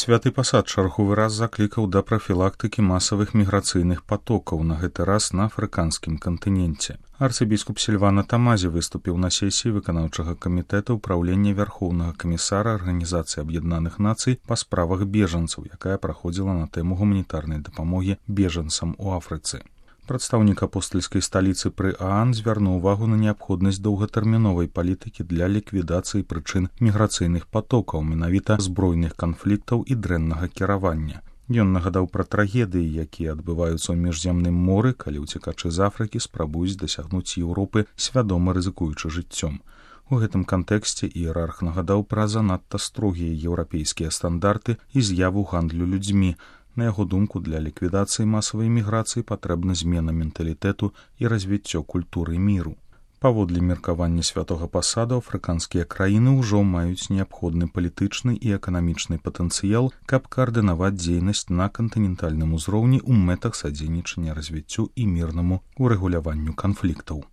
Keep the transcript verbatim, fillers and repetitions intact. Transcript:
Святы пасад чарговы раз заклікаў да прафілактыкі масавых міграцыйных патокаў, на гэты раз на афрыканскім кантыненце. Арцыбіскуп Сільвана Тамазі выступіў на сесіі выканаўчага камітэта ўпраўлення Вярхоўнага камісара Арганізацыі Аб'яднаных Нацый па справах бежанцаў, якая праходзіла на тэму гуманітарнай дапамогі бежанцам у Афрыцы. Прадстаўнік апостальскай сталіцы пры ААН звярнуў увагу на неабходнасць доўгатэрміновай палітыкі для ліквідацыі прычын міграцыйных патокаў, менавіта збройных канфліктаў і дрэннага кіравання. Ён нагадаў пра трагедыі, якія адбываюцца ў міжземным моры, калі ўцекачы з Афрыкі спрабуюць дасягнуць Еўропы, свядома рызыкуючы жыццём. У гэтым кантэксце іерарх нагадаў пра занадта строгія еўрапейскія стандарты і з'яву гандлю людзьмі. На яго думку, для ліквідацыі масавай міграцыі патрэбна змена менталітэту і развіццё культуры міру. Паводле меркавання святога пасаду, афрыканскія краіны ўжо маюць неабходны палітычны і эканамічны патэнцыял, каб каардынаваць дзейнасць на кантынентальным узроўні ў мэтах садзейнічання развіццю і мірнаму урэгуляванню канфліктаў.